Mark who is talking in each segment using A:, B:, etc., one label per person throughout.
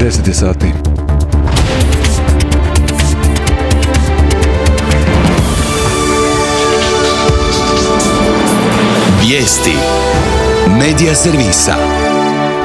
A: 10 je sati.
B: Vijesti Medija servisa.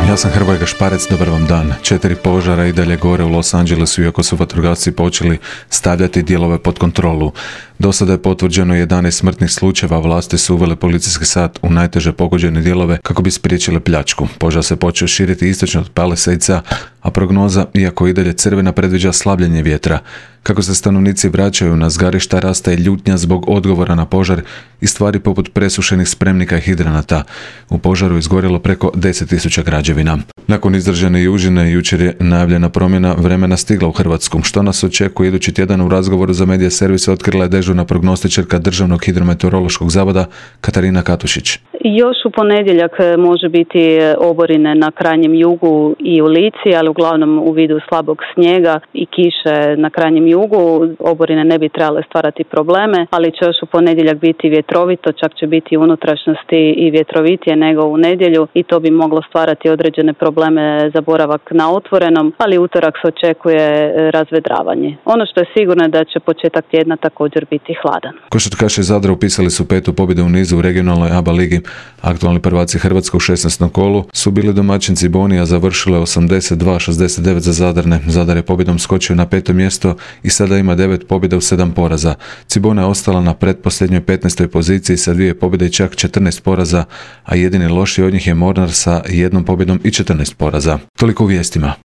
A: Ja sam Hrvoje Gašparec, dobar vam dan. 4 požara i dalje gore u Los Angelesu, iako su vatrogasci počeli stavljati dijelove pod kontrolu. Do sada je potvrđeno 11 smrtnih slučajeva, vlasti su uvele policijski sat u najteže pogođene dijelove kako bi spriječile pljačku. Požar se počeo širiti istočno od Palisades-a, a prognoza, iako i dalje crvena, predviđa slabljenje vjetra. Kako se stanovnici vraćaju na zgarišta, raste ljutnja zbog odgovora na požar i stvari poput presušenih spremnika i hidranata. U požaru izgorjelo preko 10.000 građevina. Nakon izražene južine, jučer je najavljena promjena vremena stigla u Hrvatsku. Što nas očekuje idući tjedan? U razgovoru za Medija servisa otkrila je dežurna prognostičarka Državnog hidrometeorološkog zavoda Katarina Katušić.
C: Još u ponedjeljak može biti oborine na krajnjem jugu i u Lici, ali uglavnom u vidu slabog snijega i kiše na krajnjem jugu. Oborine ne bi trebale stvarati probleme, ali će još u ponedjeljak biti vjetrovito, čak će biti u unutrašnjosti i vjetrovitije nego u nedjelju i to bi moglo stvarati određene probleme za boravak na otvorenom, ali utorak se očekuje razvedravanje. Ono što je sigurno je da će početak tjedna također biti hladan.
A: Košarkaši iz Zadra upisali su 5. pobjedu u nizu u regionalnoj ABA ligi. Aktualni prvaci Hrvatske u 16. kolu su bili domaćin Cibonija, završile 82-69 za Zadarne. Zadar je pobjedom skočio na 5. mjesto i sada ima 9 pobjeda u 7 poraza. Cibona je ostala na pretposljednjoj 15. poziciji sa 2 pobjede i čak 14 poraza, a jedini loši od njih je Mornar sa 1 pobjedom i 14 poraza. Toliko u vijestima.